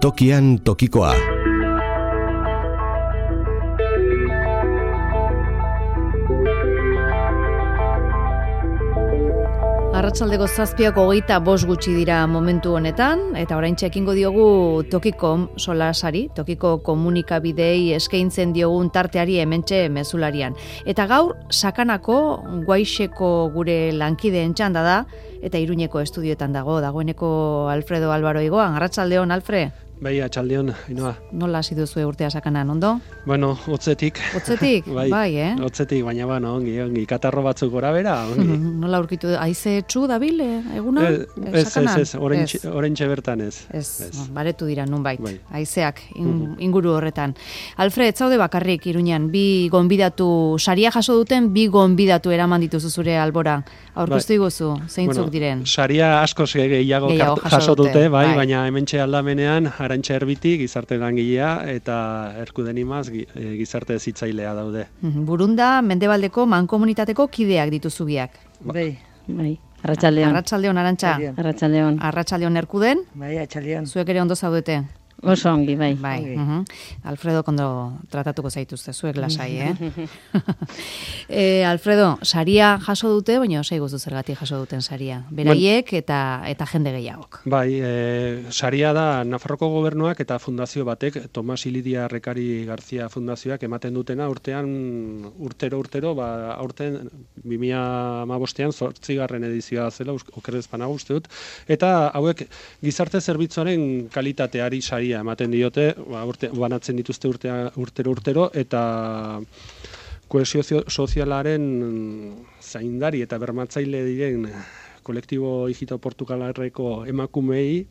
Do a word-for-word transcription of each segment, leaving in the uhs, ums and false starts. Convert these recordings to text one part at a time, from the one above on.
Tokian tokikoa. Arratsaldeko zazpiak hogeita bost gutxi dira momentu honetan, eta oraintxe ekingo diogu Tokikom solasari, Tokiko komunikabidei eskaintzen diogun tarteari hementxe mezularian. Eta gaur, Sakanako Guaixeko gure lankideen txanda da, eta Iruñeko estudioetan dago, dagoeneko Alfredo Álvaro Igoan. Arratsaldeon, Alfre. Bai, atxaldeon, Ainhoa. Nola hasi duzu urtea Sakanan, ondo? Bueno, hotzetik. Hotzetik? bai, bai, eh? Hotzetik, baina bueno, ongi, ongi, katarro batzuk gora bera, ongi. Nola aurkitu, haize txu dabil, eguna? Ez, ez, ez, orentxe bertan ez. Ez, ez. Baretu dira nunbait, bai. haizeak in, inguru horretan. Alfred, zaude bakarrik Iruñan, bi gonbidatu, saria jaso duten, bi gonbidatu eraman dituzu zure albora. Aurkeztu iguzu, zeintzuk bueno, diren? Saria askoz gehiago, gehiago jaso dute, bai, bai, baina hementxe aldamenean, Arantxa Erbiti, gizarte langilea, eta Erkuden Imaz, gizarte zitzailea daude. Burunda, Mendebaldeko mankomunitateko kideak dituzu biak. Bai, bai. Arratsaldeon. Arratsaldeon, Arantxa. Arratsaldeon. Arratsaldeon Erkuden. Bai, arratsaldeon. Zuek ere ondo zaudete. Oso ongi, bai. Bai. Okay. Uh-huh. Alfredo kondo tratatuko zaituzte, zuek lasai, eh? e, Alfredo, saria jaso dute, baina osei guzu zergatik jaso duten saria. Beraiek eta eta jende gehiagok. Bai, e, saria da Nafarroko gobernuak eta fundazio batek, Tomas Ilidia Rekari Garzia fundazioak ematen dutena urtean, urtero, urtero, ba, aurten bi mila hamabostean zortzigarren edizioa zela, okerrez banago uste dut, eta hauek gizarte zerbitzuaren kalitateari saria ematen diote, ba, urte, banatzen dituzte urtea, urtero urtero, eta kohesio sozialaren zaindari eta bermatzaile diren kolektibo hijito Portugalarreko emakumei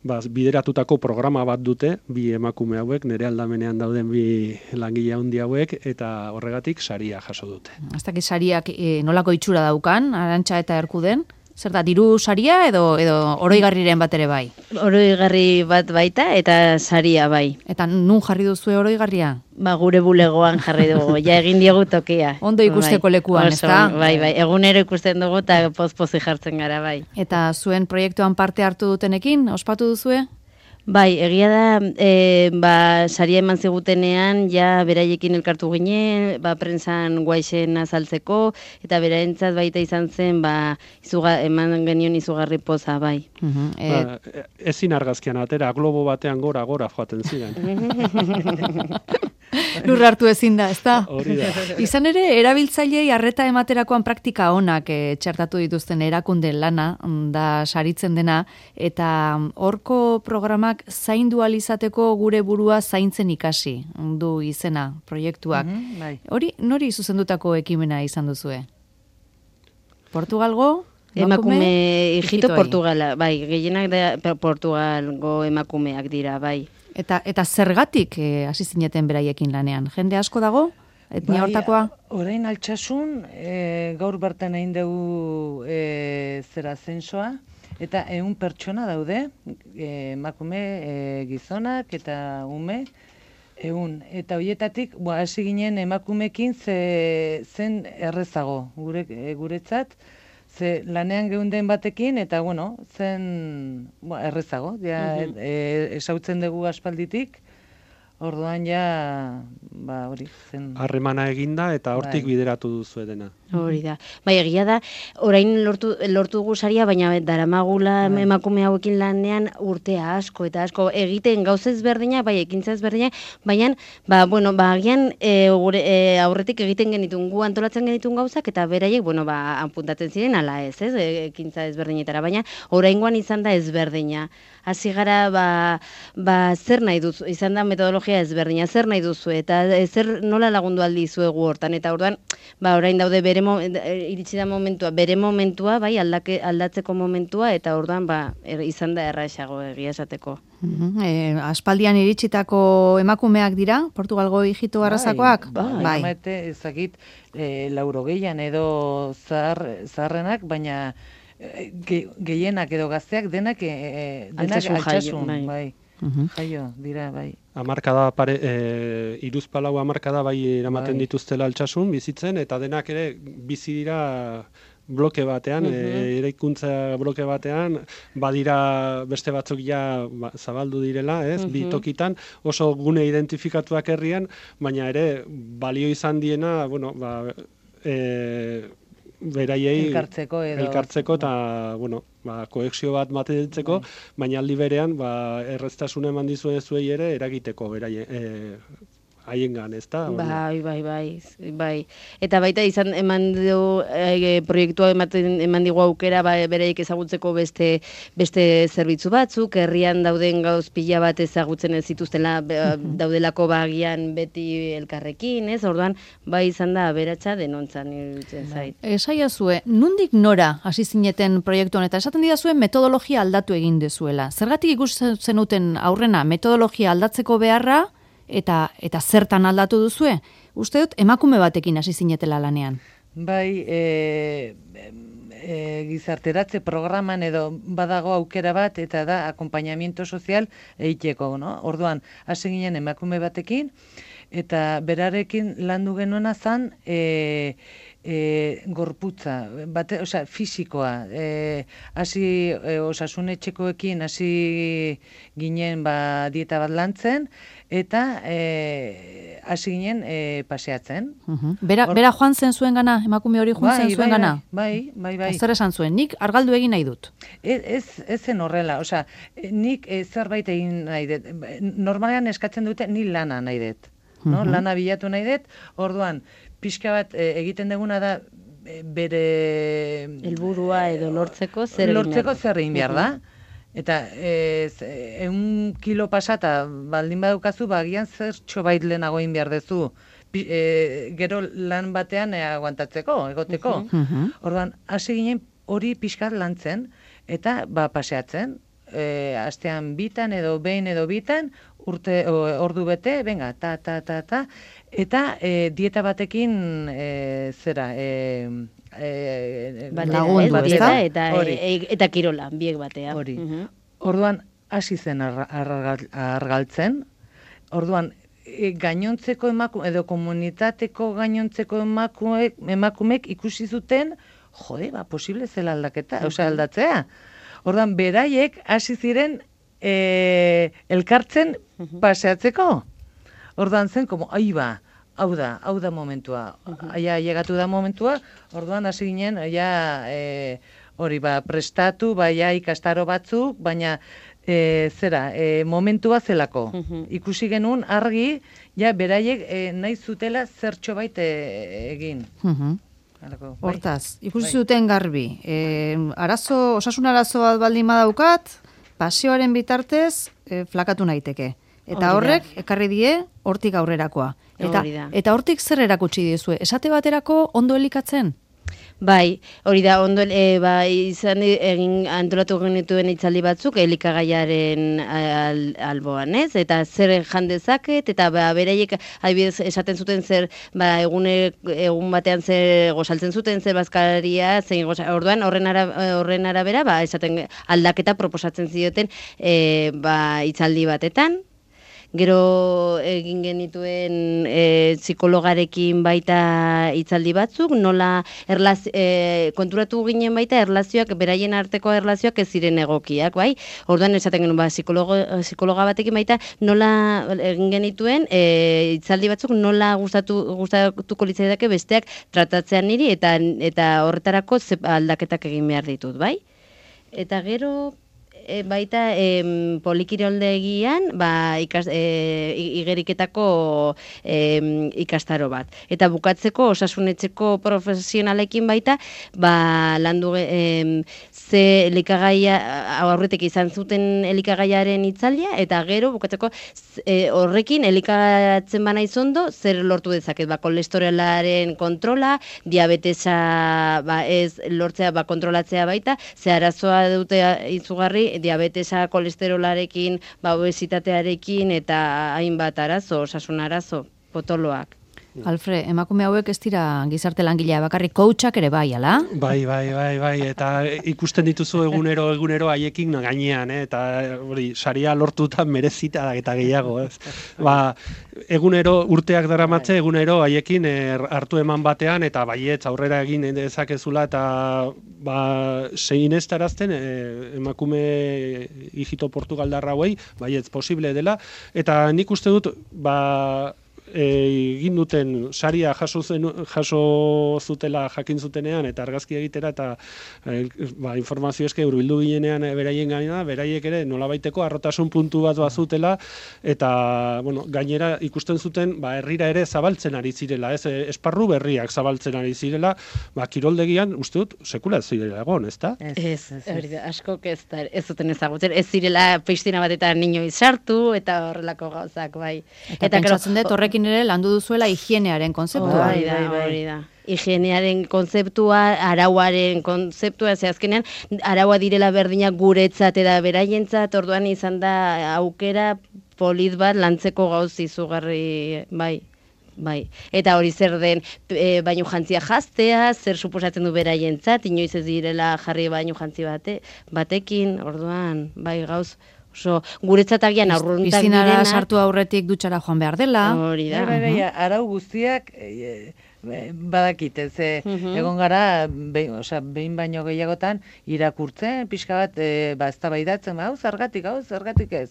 ba, bideratutako programa bat dute, bi emakume hauek, nire aldamenean dauden bi langile handi hauek, eta horregatik saria jaso dute. Ez dakit sariak e, nolako itxura daukan, Arantxa eta Erkuden? Zer da, diru saria edo, edo oroigarriren bat ere bai? Oroigarri bat baita eta saria bai. Eta nun jarri duzu oroigarria? Ba, gure bulegoan jarri dugu, ja egin diogu tokia. Ondo ikusteko bai. Lekuan, ez da? Bai, bai, egunero ikusten dugu eta poz-pozi jartzen gara, bai. Eta zuen proiektuan parte hartu dutenekin, ospatu duzue? Bai, egia da, e, ba, saria eman zigutenean, ja beraiekin elkartu ginen, ba, prentsan Guaixen azaltzeko, eta beraentzat baita izan zen, ba, izuga, eman genion izugarri poza, bai. Uh-huh. e... ba, ezin argazkian atera, globo batean gora-gora joaten ziren. Lur hartu ezin da, ez da? Hori da. Izan ere, erabiltzailei arreta ematerakoan praktika onak e, txertatu dituzten erakunde lana, da saritzen dena, eta horko programak zaindu alizateko gure burua zaintzen ikasi, du izena, proiektuak. Mm-hmm, bai. Hori, nori zuzendutako ekimena izan duzue? Portugalgo? Emakume hijito Portugala, bai, gehienak da Portugalgo emakumeak dira, bai. Eta eta zergatik eh, hasi zineten beraiekin lanean? Jende asko dago? Etnia bai, hortakoa? Orain altsasun, e, gaur bertan egin dugu e, zera zensoa, eta ehun pertsona daude, emakume, e, gizonak eta ume, ehun. Eta hoietatik, hasi ginen emakumekin ze, zen errezago, gure, e, guretzat, ze lanean geunden batekin, eta bueno, zen bo, errezago, ja, uh-huh. e, esautzen dugu aspalditik, orduan ja, ba, hori, zen... Harremana eginda eta hortik bai. Bideratu duzu edena. Hori da. Bai, egia da, orain lortu, lortu dugu saria, baina daramagula bai. Emakume hauekin lanean urtea asko, eta asko egiten gauza ezberdina, bai, ekintza ezberdina, baina, ba, bueno, ba, agian e, gure, e, aurretik egiten genitun, gu antolatzen genitun gauzak, eta beraiek, bueno, ba, apuntatzen ziren, ala ez, ez, ekintza ezberdinetara, baina oraingoan izan da ezberdina. Hasi gara, ba, ba, zer nahi duzu, izan da metodologia ezberdina, zer nahi duzu, eta zer nola lagundu aldi zuegu hortan, eta orduan, ba, orain daude bere mo, iritsi da momentua, bere momentua, bai, aldake, aldatzeko momentua, eta orduan, ba, er, izan da erraisago egia esateko. Uh-huh. E, aspaldian iritsitako emakumeak dira, Portugalgo hijito arrazakoak? Bai, bai. Bai. Ezagit, e, lauro gehian edo zahar, zaharrenak, baina ge, gehienak edo gazteak denak, e, denak altsasun, bai. bai. Uh-huh. Jaio, dira, bai. Amarkada, pare, e, iruzpalau amarkada bai eramaten bai. Dituztela altsasun, bizitzen, eta denak ere bizi dira bloke batean, e, eraikuntza bloke batean, badira beste batzuk ja ba, zabaldu direla, ez, bi tokitan, oso gune identifikatuak herrian, baina ere balio izan diena, bueno, ba, e, beraiei elkartzeko edo elkartzeko eta bueno, ba, koexio bat matetzeko, baina aldi berean ba, erreztasuna eman dizue zuei ere eragiteko beraie, e, haiengan, ezta? Bai, bai, bai, bai. Eta baita izan eman du e, proiektua ematen eman digu aukera ba, bereik ezagutzeko beste beste zerbitzu batzuk, herrian dauden gauz pila bat ezagutzen ez zituztela daudelako bagian beti elkarrekin, ez? Orduan bai izan da aberatsa denontzan iruditzen zait. Esaiazue, nondik nora hasi zineten proiektu honetan? Esaten didazue metodologia aldatu egin dezuela. Zergatik ikusten zenuten aurrena metodologia aldatzeko beharra? Eta, eta zertan aldatu duzue? Uste dut, emakume batekin hasi zinetela lanean. Bai, e, e, gizarteratze programan edo badago aukera bat, eta da akompainamiento sozial egiteko, no? Orduan, hasi ginen emakume batekin, eta berarekin landu genuena zan, e, E, gorputza, bate, osea, fisikoa, e, hasi e, osasunetxekoekin hasi ginen ba, dieta bat lantzen, eta e, hasi ginen e, paseatzen. Uh-huh. Bera, Or... bera joan zen zuen gana, emakume hori joan zen zuen bai, gana? Bai, bai, bai. Zer esan zuen, nik argaldu egin nahi dut? Ez, ez, ez zen horrela, osea, nik e, zerbait egin nahi dut. Normalean eskatzen dute, ni lana nahi dut. No? Uh-huh. Lana bilatu nahi dut, orduan, pixka bat e, egiten deguna da e, bere helburua edo lortzeko zer lortzeko zer egin behar da. Eta ehun kilo pasata baldin badaukazu, bagian zer txobait lehenago egin behar dezu. E, gero lan batean e, aguantatzeko, egoteko. Uh-huh. Orduan, hasi ginen hori pixkat lantzen, eta ba, paseatzen. E, astean bitan edo behin edo bitan, urte, o, ordu bete, venga, ta, ta, ta, ta, eta e, dieta batekin e, zera, e, e, lagundu, dieta eta, e, eta kirola, biek batea. Hori. Uh-huh. Orduan, hasi zen ar, ar, argaltzen, orduan, e, gainontzeko emakume, edo komunitateko gainontzeko emakumek, emakumek ikusi zuten, jode, ba, posible zela aldaketa, uh-huh. osea, aldatzea. Orduan, beraiek hasi ziren e, elkartzen paseatzeko. Orduan zen, como, ai ba, hau da, hau da momentua. Aia, llegatu da momentua, orduan hasi ginen, ja, e, hori ba, prestatu, baia ikastaro batzuk, baina e, zera, e, momentua zelako. Ikusi genuen argi, ja, beraiek e, nahi zutela zertxo bait e, egin. Alako, hortaz, bai. Ikusi zuten garbi. E, arazo, osasun arazo bat baldin badaukat, pasioaren bitartez e, flakatu naiteke. Eta horrek ekarri die hortik aurrerakoa. Eta eta hortik zer erakutsi diezue? Esate baterako ondo elikatzen? Bai, hori da, ondo, e, ba, izan egin antolatu genituen itzaldi batzuk elikagaiaren al, alboan, ez? Eta zer jan dezaket, eta ba, beraiek adibidez esaten zuten zer, ba, egune, egun batean zer gozaltzen zuten, zer bazkaria, zein goza, orduan horren, ara, horren arabera, ba, esaten aldaketa proposatzen zioten e, ba, itzaldi batetan. Gero egin genituen e, psikologarekin baita hitzaldi batzuk, nola erlaz, e, konturatu ginen baita erlazioak, beraien arteko erlazioak ez ziren egokiak, bai? Orduan esaten genuen, ba, psikologo, psikologa batekin baita nola egin genituen e, hitzaldi batzuk nola gustatu, gustatuko litzaidake besteak tratatzean niri eta, eta horretarako aldaketak egin behar ditut, bai? Eta gero... E, baita e, polikiroldegian ba, ikas, e, igeriketako e, ikastaro bat. Eta bukatzeko osasunetxeko profesionalekin baita ba, landu e, ze elikagaia aurretik izan zuten elikagaiaren itzaldia eta gero bukatzeko e, horrekin elikatzen bana izondo zer lortu dezaket. Ba, kolesterolaren kontrola, diabetesa ba, ez lortzea ba, kontrolatzea baita, ze arazoa dute izugarri diabetesa, kolesterolarekin, ba, obesitatearekin eta hainbat arazo, osasun arazo, potoloak. Alfre, emakume hauek ez dira gizarte langilea bakarrik, coachak ere bai, ala? Bai, bai, bai, bai, eta ikusten dituzu egunero, egunero haiekin gainean, eh? Eta hori, saria lortuta merezita eta gehiago, ez? Ba, egunero urteak daramatze, egunero haiekin er, hartu eman batean, eta baietz aurrera egin dezakezula, eta ba, zein ez tarazten, eh, emakume hijito Portugaldarra hauei, baietz posible dela, eta nik uste dut, ba, egin duten saria jaso zen, jaso zutela jakin zutenean eta argazki egitera eta e, ba, informazio eske hurbildu ginenean beraien gaina, beraiek ere nolabaiteko arrotasun puntu bat bazutela eta bueno, gainera ikusten zuten ba, herrira ere zabaltzen ari zirela, ez esparru berriak zabaltzen ari zirela, ba, kiroldegian uste dut sekula ez zirela egon, ezta? Ez, ez, ez, ez. Askok ez, da, ez zuten ezagutzen, ez zirela pistina batetan inoiz sartu eta horrelako gauzak, bai. Eta, eta pentsatzen dut horrekin ere landu duzuela higienearen kontzeptua. Hori da, hori da. Higienearen kontzeptua, arauaren kontzeptua, ze azkenean araua direla berdinak guretzat eta beraientzat, orduan izan da aukera polit bat lantzeko gauz izugarri, bai. Bai, eta hori zer den e, bainu jantzia jaztea, zer suposatzen du beraientzat, inoiz ez direla jarri bainu jantzi bate, batekin, orduan, bai gauz, oso guretzat agian aurruntak direna. Piscinara sartu aurretik dutxara joan behar dela. Hori da. Bai, bai, bai, arau guztiak e, badakite, ze uh-huh. egon gara, behin, osea, behin baino gehiagotan irakurtzen, pixka bat, e, ba, eztabaidatzen, ba, hau zergatik, hau zergatik ez.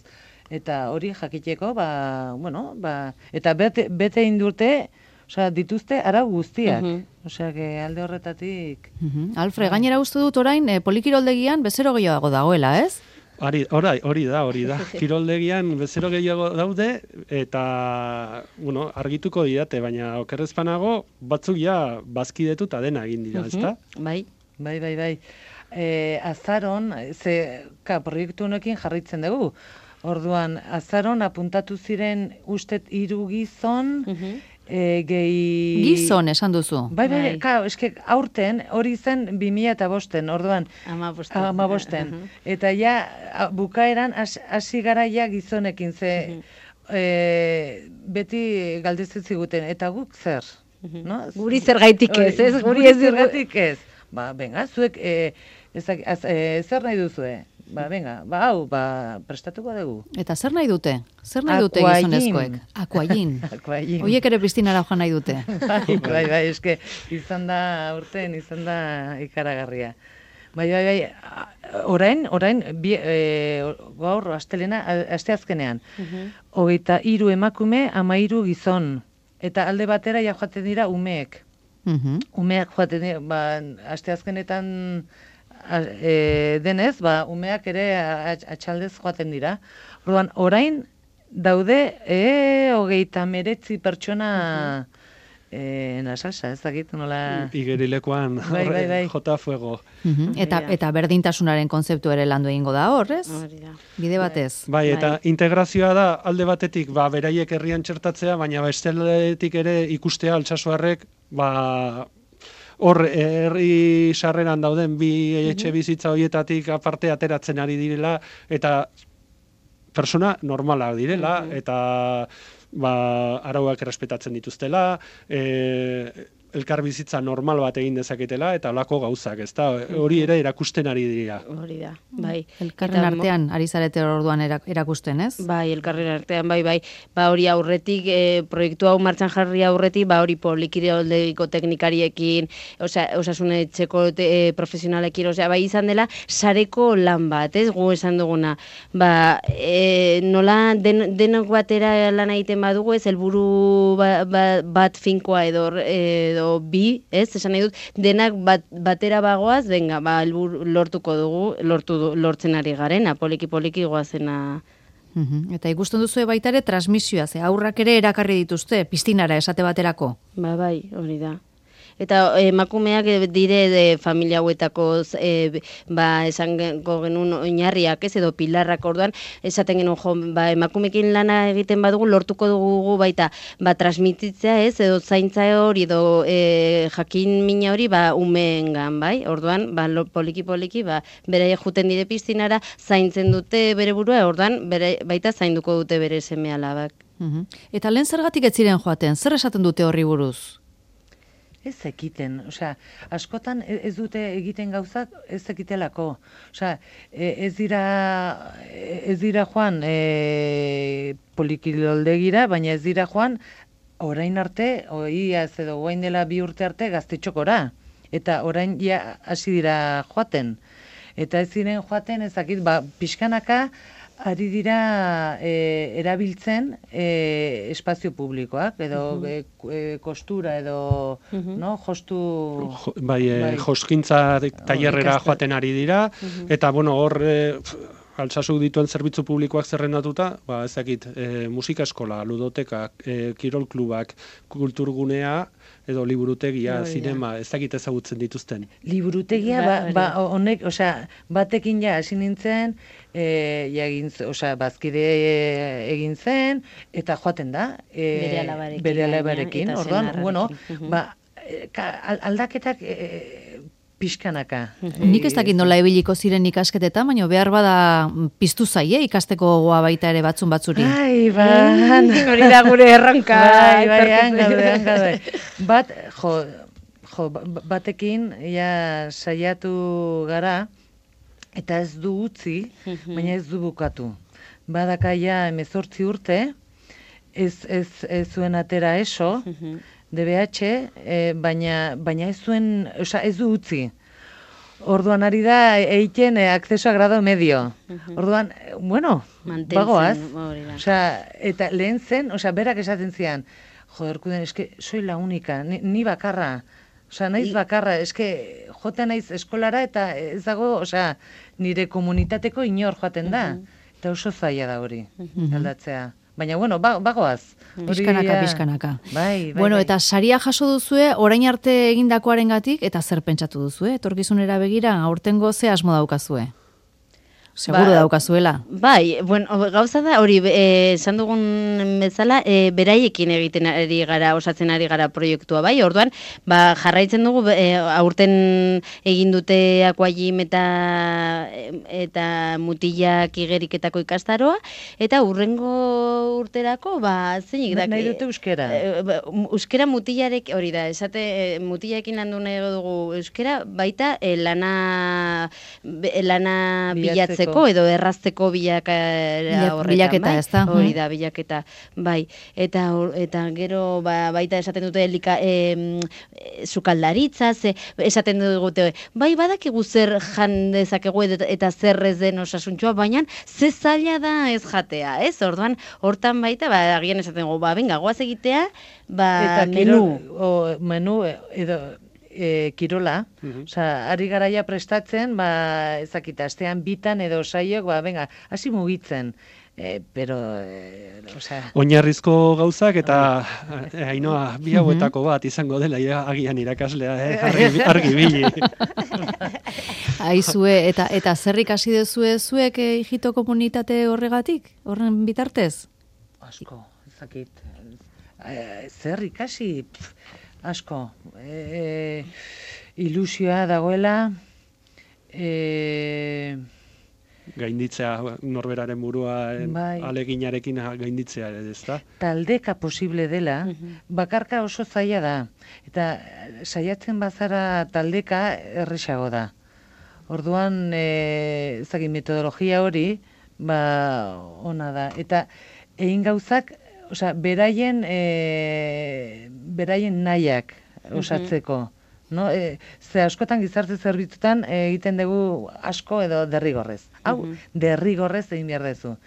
Eta hori jakiteko, ba, bueno, ba, eta bete, bete indurte, osea, dituzte arau guztiak. Uh-huh. Osea, que alde horretatik... Uh-huh. Alfre, gainera uste dut orain, e, polikiroldegian bezero gehiago dagoela, ez? Hori, hori da, hori da. Kiroldegian bezero gehiago daude, eta, bueno, argituko didate, baina okerrezpanago batzuk ja bazkidetuta dena egin dira, ezta? Bai, bai, bai, bai. E, azaron, ze, ka, proiektu honekin jarritzen dugu. Orduan, azaron apuntatu ziren ustet hiru gizon, uh-huh. e, gehi... Gizon esan duzu. Bai, bai, bai. Ka, eske aurten hori zen bi mila eta bosten, orduan. Ama bosten. Ama bosten. Uh-huh. Eta ja, bukaeran hasi gara ja gizonekin, ze uh-huh. e, beti galdetzen ziguten, eta guk zer? Uh-huh. No? Guri zergaitik ez, ez? Guri ez zergaitik ez. Ba, venga, zuek, e, ezak, az, e, zer nahi duzue? Ba, venga, ba, hau, ba, prestatuko dugu. Eta zer nahi dute? Zer nahi dute gizonezkoek? Akuain. Akuain. Oiek ere pistinara joan nahi dute. Bai, bai, bai, eske, izan da, urten, izan da ikaragarria. Bai, bai, bai, orain, orain, bi, e, gaur, astelena, asteazkenean. Uh-huh. Hogeita hiru emakume, ama hiru gizon. Eta alde batera ja joaten dira umeek. Uh-huh. Umeak joaten dira, ba, asteazkenetan... E, denez, ba, umeak ere atxaldez joaten dira. Orduan, orain daude e, hogeita meretzi pertsona uh-huh. e, nasalsa, ez dakit nola... Igerilekoan bai, bai, bai. jota fuego. Uh-huh. Eta, eta berdintasunaren kontzeptu ere landu egingo da hor, ez? Bide batez. Bai, eta bai. Integrazioa da alde batetik, ba, beraiek herrian txertatzea, baina besteletik ere ikustea altsasoarrek, ba... Hor, herri sarreran dauden bi etxe bizitza horietatik aparte ateratzen ari direla, eta persona normalak direla, eta ba, arauak errespetatzen dituztela, e, elkar bizitza normal bat egin dezaketela, eta holako gauzak, ezta? Hori ere erakusten ari dira. Hori da, bai. Elkarren artean ari zarete orduan erakusten, ez? Bai, elkarren artean, bai, bai. Ba, hori aurretik, e, proiektu hau martxan jarri aurretik, ba, hori polikiroldeiko teknikariekin, osa, osasune etxeko te, e, profesionalekin, osea, bai izan dela, sareko lan bat, ez? Gu esan duguna. Ba, e, nola den, denok batera lan egiten badugu, ez? Helburu ba, ba, bat finkoa edo, edo bi, ez, esan nahi dut, denak bat, batera bagoaz, venga, ba, helburu lortuko dugu, lortu, lortzen ari garen, poliki-poliki goazena. Uhum. Eta ikusten duzu baita ere transmisioa, ze aurrak ere erakarri dituzte, pistinara esate baterako. Ba, bai, hori da. Eta emakumeak dire de familia hauetako e, ba, esango genuen oinarriak, ez, edo pilarrak orduan, esaten genuen, jo, ba, emakumekin lana egiten badugu, lortuko dugu baita, ba, transmititzea, ez, edo zaintza hori, edo e, jakin mina hori, ba, umeengan, bai, orduan, ba, poliki-poliki, ba, bere juten dire pistinara, zaintzen dute bere burua, orduan, bere, baita zainduko dute bere seme alabak. Mhm. Eta lehen zergatik ez ziren joaten, zer esaten dute horri buruz? Ez ekiten, osea, askotan ez dute egiten gauzak ez ekitelako. Osea, ez dira ez dira joan e, polikiloldegira, baina ez dira joan orain arte, oiaz edo guain dela bi urte arte gaztetxokora. Eta orain ja hasi dira joaten. Eta ez ziren joaten ezakit, ba, pixkanaka ari dira e, erabiltzen e, espazio publikoak, edo uh -huh. e, e, kostura, edo uh -huh. no, jostu... Jo, bai, e, bai. Joskintza tailerrera joaten ari dira, uh -huh. eta, bueno, hor... E, Altsasuk dituen zerbitzu publikoak zerrendatuta, ba, ezakit, e, musika eskola, ludotekak, e, kirol klubak, kulturgunea, edo liburutegia, no, zinema, ezakit ezagutzen dituzten. Liburutegia, ba, ba, honek, osea, batekin ja hasi nintzen, e, ja egin, osea, bazkide egin zen, eta joaten da. E, bere alabarekin. Bere alabarekin, orduan, bueno, ba, aldaketak... E, pixkanaka. Nik ez dakit nola ebiliko ziren ikasketetan, baina behar bada piztu zaie ikasteko gogoa baita ere batzun batzuri. Ai, ban. Hori da gure erronka. Bai, bai, hangaude, hangaude. Bat, jo, jo, batekin, ja, saiatu gara, eta ez du utzi, baina ez du bukatu. Badaka ja emezortzi urte, ez, ez, ez zuen atera eso, D B H, e, baina, baina ez zuen, oza, ez du utzi. Orduan ari da egiten e, acceso a grado medio. Orduan, bueno, mantentzen, bagoaz. Oza, eta lehen zen, oza, berak esaten zian, joder, kuden, eske, soy la única, ni, ni bakarra. Oza, naiz bakarra, eske, joten naiz eskolara eta ez dago, oza, nire komunitateko inor joaten da. Eta oso zaila da hori, aldatzea. Baina, bueno, bagoaz. Bizkanaka, bizkanaka. Bai, bai, bueno, bai. Eta saria jaso duzue, orain arte egindakoarengatik eta zer pentsatu duzue? Etorkizunera begira, aurtengo ze asmo daukazue? Seguro ba, daukazuela. Bai, bueno, gauza da, hori, esan dugun bezala, e, beraiekin egiten ari gara, osatzen ari gara proiektua, bai, orduan, ba, jarraitzen dugu, e, aurten egin dute Aquajim eta, eta mutilak igeriketako ikastaroa, eta urrengo urterako, ba, zeinik da. Nahi dute euskera. E, euskera mutilarek, hori da, esate, mutilarekin landu nahi dugu euskera, baita, e, lana, lana bilatzeko, edo errazteko bilaketa horretan, bilaketa, bai? Ez da? Hori da, bilaketa, bai. Eta, eta gero, ba, baita esaten dute lika, e, sukaldaritza, ze, esaten dute, bai, badakigu zer jan dezakegu eta zer ez den osasuntxoa, baina ze zaila da ez jatea, ez? Orduan, hortan baita, ba, agian esaten dugu, ba, venga, goaz egitea, ba, eta menu. O, menu, edo... E, kirola, uh-huh. Osa, ari garaia prestatzen, ba, ezakita, astean bitan edo saiok, ba, venga, hasi mugitzen, e, pero, e, osea... Oinarrizko gauzak eta, Ainoa, bi hauetako bat izango dela, ja, agian irakaslea, eh? argi, argi bili. Aizue, eta, eta zer ikasi dezue zuek e, hijito komunitate horregatik, horren bitartez? Asko, ezakit, e, zer ikasi... Pff, asko, e, ilusioa dagoela, e, gainditzea norberaren burua bai. Aleginarekin gainditzea, ez da? Taldeka posible dela, bakarka oso zaila da, eta saiatzen bazara taldeka erresago da. Orduan, e, ezagin metodologia hori, ba, ona da, eta egin gauzak, osea, beraien, e, beraien nahiak osatzeko. No? E, ze askotan gizarte zerbitzutan e, egiten dugu asko edo derrigorrez. Hau, derrigorrez egin behar dezu.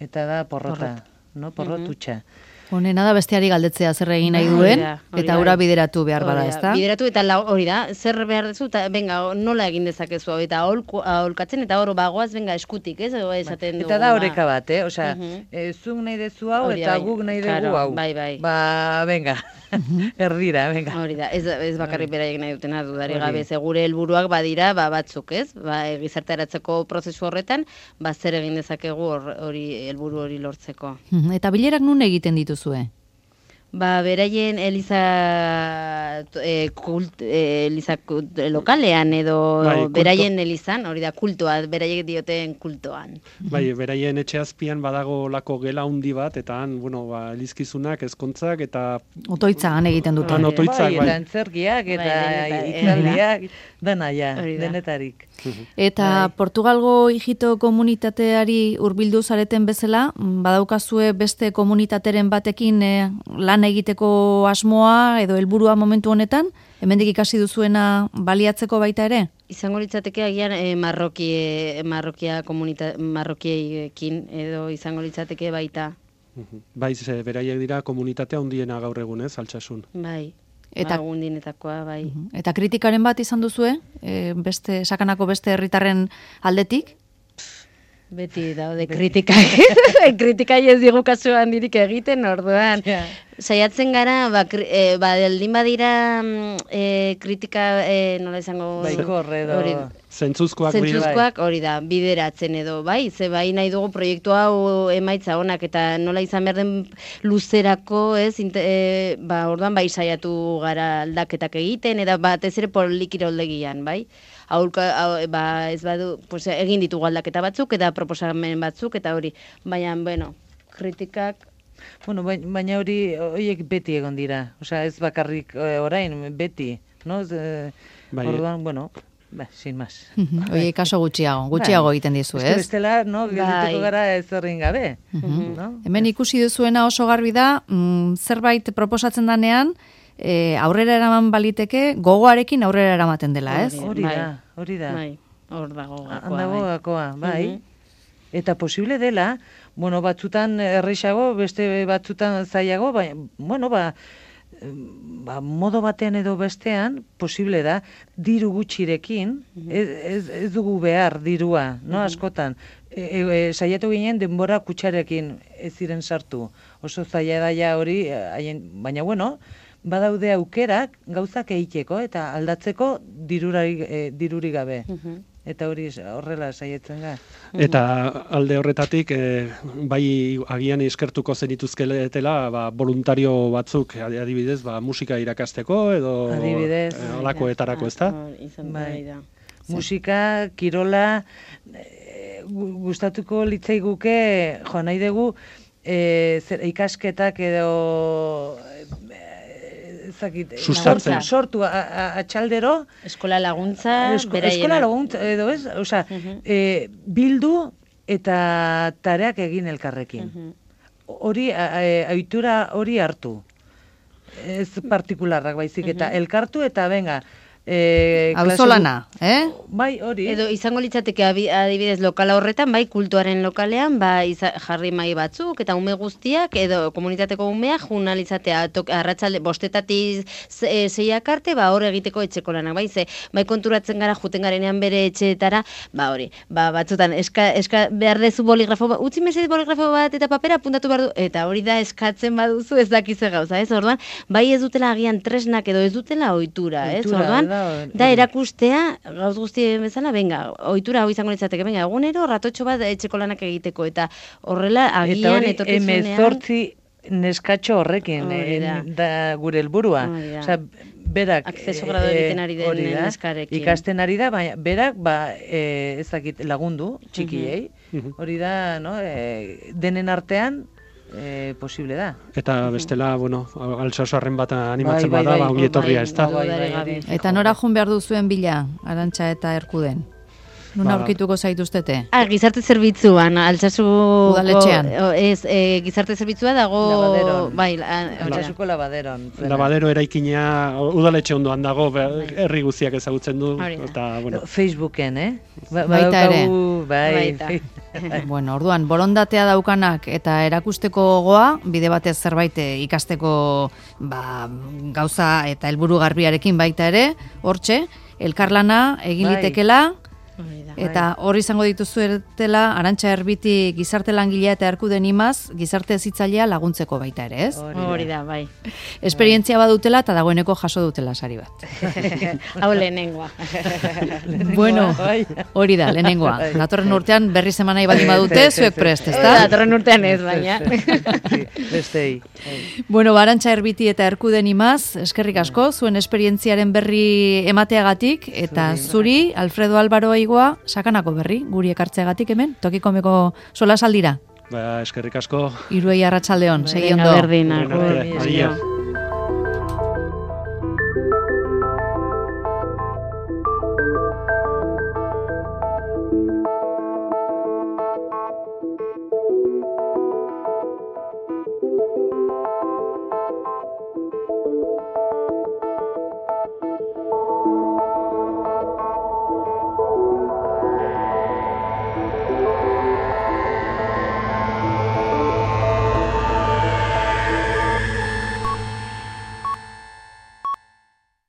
Eta da porrota, no? Porrotutxa. Honena da besteari galdetzea zer egin nahi duen, eta hura bideratu behar bada, ez da? Bideratu eta hori da, zer behar dezu, eta venga, nola egin dezakezu, eta aholkatzen, eta hor bagoaz, venga, eskutik, ez? Esaten eta da oreka bat, eh? Osea, zuk nahi dezu hau, eta guk nahi dugu hau. Bai, bai. Ba, venga, erdira, venga. Hori da, ez bakarrik beraiek nahi dutena dudari gabe, ze gure helburuak badira, ba, batzuk, ez? Ba, gizarteratzeko prozesu horretan, ba, zer egin dezakegu hori helburu hori lortzeko. Eta bilerak nun egiten ditu zue? Ba, beraien Eliza e, kult, e, Eliza kult, lokalean edo bai, kulto. beraien Elizan, hori da kultoa, beraiek dioten kultoan. Bai, beraien etxe azpian badago lako gela handi bat, eta han, bueno, ba, elizkizunak, ezkontzak, eta... Otoitza han egiten dute. Han otoitzak, bai. bai. Eta antzerkiak, eta Bai, itzaldiak, dana ja, Hori da. denetarik. Eta Bai. Portugalgo hijito komunitateari hurbildu zareten bezala, badaukazue beste komunitateren batekin eh, lan egiteko asmoa edo helburua momentu honetan, hemendik ikasi duzuena baliatzeko baita ere? Izango litzateke agian e, marrokie, marrokia komunita, marrokiekin edo izango litzateke baita. Bai, ze beraiek dira komunitatea handiena gaur egun, ez, Altsasun. Bai. Eta- Eta gundinetakoa, bai. Eta kritikaren bat izan duzue, e, beste sakanako beste herritarren aldetik? Beti daude kritikak. Kritikak ez digu kasu handirik egiten, orduan. Ja. Saiatzen gara, ba, kri, e, ba deldin badira mm, e, kritika, e, nola izango... Baikor edo... Hori, Zentzuzkoak dira. zentzuzkoak hori da, bideratzen edo, bai, ze bai nahi dugu proiektu hau emaitza onak, eta nola izan behar den luzerako, ez, inte, e, ba, orduan bai saiatu gara aldaketak egiten, eta batez ere polikiroldegian, bai? Aurka, au, ba, ez badu, pues, egin ditugu aldaketa batzuk, eta proposamen batzuk, eta hori, baina, bueno, kritikak, Bueno, bai- baina hori, horiek beti egon dira. Osea, ez bakarrik eh, orain, beti, no? Ez, eh, Bai. Orduan, bueno, ba, sin más. Oie, kaso gutxiago, gutxiago egiten dizu, Ez que ez? bestela, no, geldituko Bai. gara ez horrein gabe. No? Hemen ikusi duzuena oso garbi da, mm, zerbait proposatzen danean, e, aurrera eraman baliteke, gogoarekin aurrera eramaten dela, ez? Hori Bai. da, hori da. bai, hor dago gakoa, Handago bai. gakoa, bai. Mhm. Eta posible dela, bueno, batzutan erreixago, beste batzutan zailago, baina, bueno, ba, ba, modo batean edo bestean, posible da, diru gutxirekin, ez, ez, ez dugu behar dirua, no, askotan. E, e, e, saiatu ginen denbora kutxarekin ez ziren sartu. Oso zaila da ja hori, eh, haien, baina bueno, badaude aukerak gauzak egiteko eta aldatzeko dirurari, e, diruri gabe. Mhm. Eta hori horrela saietzen ga. Eta alde horretatik, eh, bai agian eskertuko zenituzkeletela, ba, voluntario batzuk, adibidez, ba, musika irakasteko, edo Adibidez. eh, holakoetarako, ez da? Hor, izan Bai. bai da. Musika, kirola, e, gu- gustatuko litzaiguke, jo, nahi dugu, e, zer, ikasketak edo e, ezakit, e, Sustatzen. sortu a, a, atxaldero, Eskola laguntza, esko, beraienak. eskola laguntza edo ez, osea, Mhm. e, bildu eta tareak egin elkarrekin. Mhm. Hori, a- a- ohitura hori hartu. Ez partikularrak baizik, eta elkartu eta venga, e, klase Auzolana, eh? gu- Bai, hori. Edo izango litzateke abi- adibidez lokala horretan, bai kultuaren lokalean, ba iza, jarri mai batzuk eta ume guztiak edo komunitateko umeak juna litzatea tok- arratsalde bostetatik ze- e, seiak arte, ba hor egiteko etxeko lanak, bai ze bai konturatzen gara juten garenean bere etxeetara, ba hori, ba batzutan eska, eska behar dezu boligrafo bat, utzi mesedez boligrafo bat eta papera apuntatu behar du, eta hori da eskatzen baduzu ez dakize gauza, ez? Orduan, bai ez dutela agian tresnak edo ez dutela ohitura, ez? Ohitura, Orduan, da, hori. da erakustea, gauz guztien bezala, venga, ohitura hau izango litzateke, venga, egunero ratotxo bat etxeko lanak egiteko, eta horrela Eta agian hori etorkizunean... emezortzi neskatxo horrekin, Hori eh, da. da gure helburua. Hori da. Osea, berak... Akzeso eh, grado eh, egiten ari den hori da, neskarekin. Ikasten ari da, baina berak, ba, eh, ez dakit, lagundu, txikiei. Hori da, no, eh, denen artean, eh, posible da. Eta bestela, bueno, Altsasoarren bat animatzen Bai, bai, bada, bai, ba, ongi etorria, bai, ez da? bai. dudarik gabe. Eta nora jun behar duzuen bila, Arantxa eta Erkuden? Nuna Ba- aurkituko zaituztete? Ah, gizarte zerbitzuan, altsasu... Udaletxean. Ez, e, gizarte zerbitzua dago... Labaderon. Bai, la- hori da. Altsasuko labaderon. zena. Labadero eraikinea udaletxe ondoan dago, be- herri guztiak ezagutzen du, Hori da. eta, bueno, Facebooken, eh? Ba- Baita ere. badaukagu, Bai, Baita. Bueno, orduan, borondatea daukanak eta erakusteko gogoa, bide batez zerbait eh, ikasteko ba, gauza eta helburu garbiarekin baita ere, hortxe, elkarlana egin Bai. litekela, Eta hor izango dituzuetela Arantxa Erbiti gizarte langilea eta Erkuden Imaz gizarte hezitzailea laguntzeko baita ere, ez? Hori da, bai. Esperientzia badutela eta dagoeneko jaso dutela sari bat. Hau lehenengoa. Bueno, hori da, lehenengoa. Datorren urtean berri zemanai baldin badute, zuek prest, ezta? Datorren urtean ez, baina. Bestei. Bueno, Arantxa Erbiti eta Erkuden Imaz, eskerrik asko, zuen esperientziaren berri emateagatik, eta zuri, Alfredo Álvaro Aigoa, sakanako berri, guri ekartzeagatik hemen, Tokikomeko solasaldira. Ba, eskerrik asko. Hiruei arratsaldeon, segi ondo. Berdin, Bueno, agur. adio.